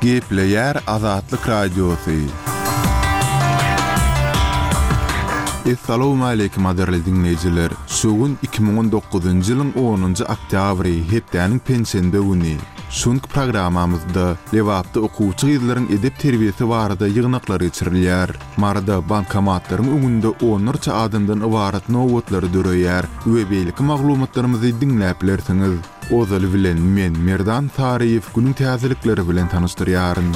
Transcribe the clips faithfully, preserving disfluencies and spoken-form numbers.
Gepleýär Azatlyk Radiosy. Essalawmaleýkim gadyrly diňleýjiler! Şu gün iki müň on dokuzynjy ýylyň onunjy oktýabry, hepdäniň penşenbe güni. Şu günki programmamyzda Lebapda okuwçy gyzlaryň edep-terbiýesi barada ýygnaklar geçirilýär. Maryda bankomatlaryň öňünde onlarça adamdan ybarat nobatlar döreýär we beýleki maglumatlarymyzy diňläp bilersiňiz. Ozaly bilen men Merdan Saryýew günüň täzelikleri bilen tanyşdyrýaryn.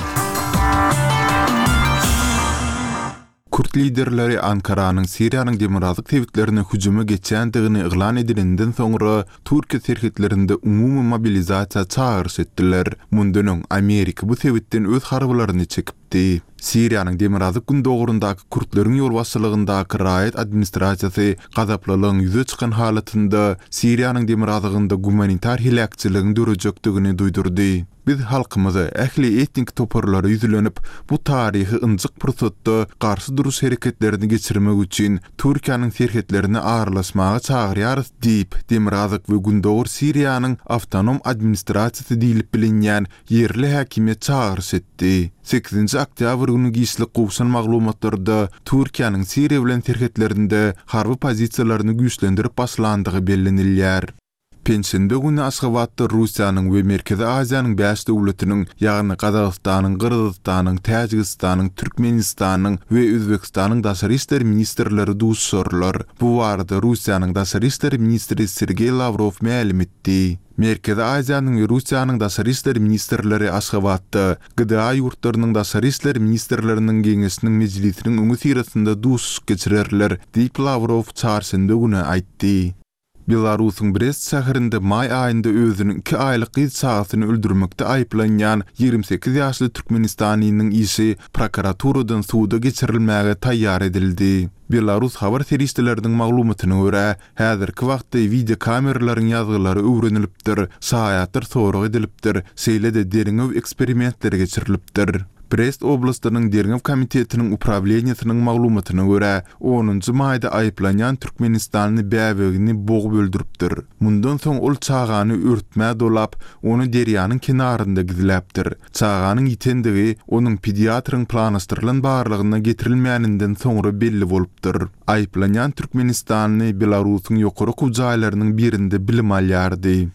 Kürt liderleri Ankaranyň Siriýanyň demirgazyk sebitlerine hüjüme geçýändigini yglan edilenden soňra Türkiýe serhetlerinde umumy mobilizasiýa çagyryş etdiler. Mundan öň Amerika bu sebitden öz harbylaryny çekipdi. Siriýanyň demirgazyk-gündogaryndaky kürtleriň ýolbaşçylygyndaky raýat administrasiýasy gazaplylygyň ýüze çykan halatynda Siriýanyň demirgazygynda gumanitar heläkçiligiň dörejekdigini duýdurdy. Biz halkymyza, ähli etnik toparlara ýüzlenip, bu taryhy ynjyk pursatda garşy duruş hereketlerini geçirmek üçin Türkiýäniň serhetlerine aralaşmaga çagyrýarys diýip, Demirgazyk we Gündogar Siriýanyň awtonom administrasiýasy diýlip bilinýän ýerli häkimiýet çagyryş etdi. Sekizinji oktýabr güni giçlik gowşan maglumatlarda Türkiýäniň Siriýa bilen serhetlerinde harby pozisiýalaryny güýçlendirip başlandygy bellenilýär. Penşenbe güni Aşgabatda Russiýanyň we Merkezi Aziýanyň bäş döwletiniň, ýagny Gazagystanyň, Gyrgyzystanyň, Täjigistanyň, Türkmenistanyň we Özbegistanyň daşary işler ministrleri duşuşarlar. Bu barada Russiýanyň daşary işler ministri Sergeý Lawrow mälim etdi. Merkezi Aziýanyň we Russiýanyň daşary işler ministrleri Aşgabatda G D A ýurtlarynyň daşary işler ministrleriniň geňeşiniň mejlisiniň öňüsyrasynda duşuşyk geçirerler, diýip Lawrow çarşenbe güni aýtdy. Belarusyň Brest şäherinde maý aýynda özüniň iki aýlyk gyz çagasyny öldürmekde aýyplanýan ýigrimi sekiz ýaşly Türkmenistanynyň işi prokuraturadan suda geçirilmäge taýýar edildi. Belarus habar serişdeleriniň maglumatyna görä, häzirki wagtda videokameralaryň ýazgylary öwrenilipdir, şaýatlar sorag edilipdir, şeýle-de derňew eksperimentleri geçirilipdir. Brest oblastynyň derňew komitetiniň uprawleniýesiniň maglumatyna görä, onunjy maýda aýyplanýan Türkmenistany bäbegini bogup öldüripdir. Mundan soň ol çagany örtmä dolap, ony derýanyň kenarynda gizläpdir. Çaganyň ýitendigi onuň pediatryň planlaşdyrylan barlygyna getirilmäninden soňra belli bolupdyr. Aýyplanýan Türkmenistany Belarusyň ýokary okuw jaýlarynyň birinde bilim alýardy.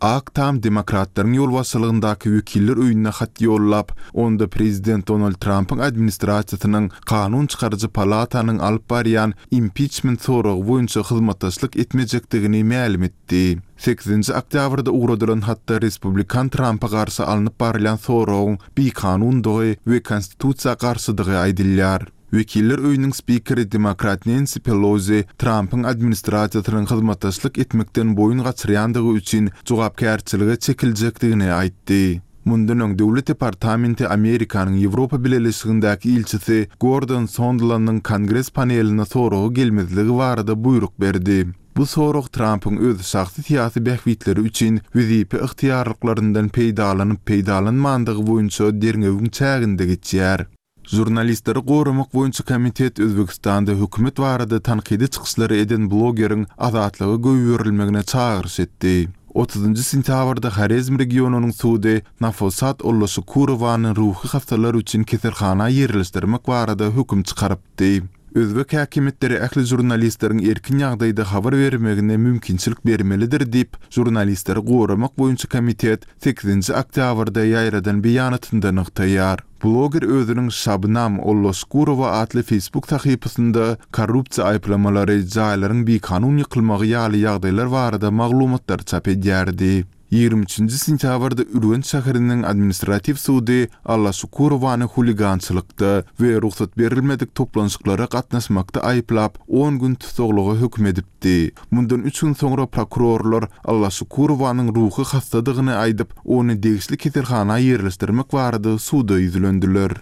Ak Tam demokratlaryň ýolbaşçylygyndaky wekiller öýüne hat ýollap, onda prezident Donald Trumpyň administrasiýasynyň kanun çykaryjy palatanyň alyp barýan impeachment soragy boýunça hyzmatdaşlyk etmejekdigini mälim etdi. Sekizinji oktýabrda ugradylan hatda Respublikan Trumpa garşy alnyp barylýan soragyň bikanundygy we konstitusiýa garşydygy aýdylýar. Wekiller öýüniň spikeri demokrat Nancy Pelosi Trumpyň administrasiýasynyň hyzmatdaşlyk etmekden boýun gaçyrýandygy üçin jogapkärçilige çekiljekdigini aýtdy. Mundan öň Döwlet departamenti Amerikanyň Ýewropa Bileleşigindäki ilçisi Gordon Sondland'yň kongres paneline soragy gelmezligi barada buýruk berdi. Bu sorag Trumpyň öz şahsy syýasy bähbitleri üçin wezipe ygtyýarlyklaryndan peýdalanyp peýdalanmandygy boýunça derňewiň çäginde geçýär. Žurnalistleri goramak boýunça komitet Özbekistanda hökümet barada tankydy çykyşlary eden blogeriň azatlyga goýberilmegine çagyryş etdi. Otuzynjy sentýabrda Horezm regionynyň sudy Nafosat Ollaşukurowany ruhy hastalar üçin keselhana ýerleşdirmek barada höküm çykarypdy. Özbek häkimiýetleri ähli žurnalistleriň erkin ýagdaýda habar bermegine mümkinçilik bermelidir diýip, žurnalistleri goramak boýunça komitet sekizinji oktýabrda ýaýradan beýanatynda nygtaýar. Bloger özüniň Şabnam Ollaşkurowa atly Facebook sahypasynda korrupsiýa aýyplamalary, jaýlaryň bikanun ýykylmagy ýaly ýagdaýlar barada maglumatlar çap edýärdi. Ýigrimi üçünji sentýabrda Ürgenç şäheriniň administratiw sudy Allaşukurowany huligançylykda we rugsat berilmedik toplanşyklara gatnaşmakda aýyplap, on gün tussaglyga höküm edipdi. Mundan üç gün soňra prokurorlar Allaşukurowanyň ruhy hastadygyny aýdyp, ony degişli keselhana ýerleşdirmek barada suda ýüzlendiler.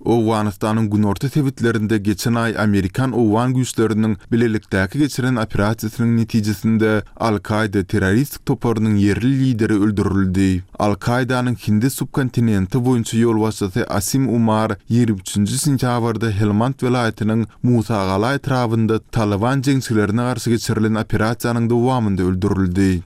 Owganystanyň günorta sebitlerinde geçen aý Amerikan-Owgan güýçleriniň bilelikdäki geçiren operasiýasynyň netijesinde Al-Kaýda terroristik toparynyň ýerli lideri öldürildi. Al-Kaýdanyň Hindi subkontinenti boýunça ýolbaşçysy Asim Umar ýigrimi üçünji sentýabrda Helmand welaýatynyň Musagala etrabynda Taliban jeňçilerine garşy geçirilen operasiýanyň dowamynda öldürildi.